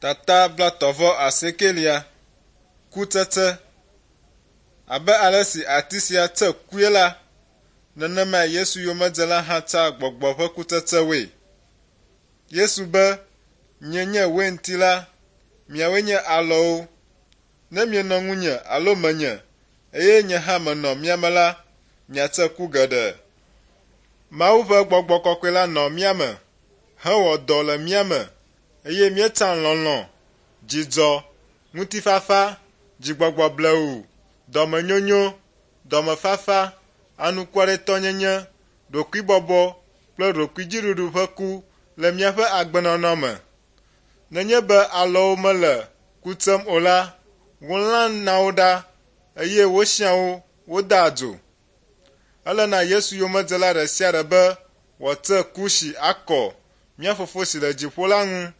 Tata 38 Kutsetse Abe ale si ati sia tse kue la, nenemae Yesu yomedzela hã tsea gbɔgbɔ ƒe kutsetsewoe. Yesu be, Nyee nye weinti la, miawoe nye alɔwo. Ne mienɔ ŋunye alo menye, eye nye hã menɔ mia me la, miatse ku geɖe. Mawu ƒe gbɔgbɔ kɔkɔe la nɔ mía me hewɔ dɔ le mía me eye míetsã lɔlɔ̃, dzidzɔ, ŋutifafa, dzigbɔgbɔ blewu, dɔmenyonyo, dɔmefafa, anukwaretɔnyenye, ɖokuibɔbɔ kple ɖokuidziɖuɖu ƒe ku le míaƒe agbenɔnɔ me. Nenye be alɔwo mele ku tsem o la, wolãna wo ɖa eye wosiã wo wodea dzo. Ele na Yesu yomedzela ɖe sia ɖe be wòatse ku si akɔ mía Fofo si le dziƒo la ŋu.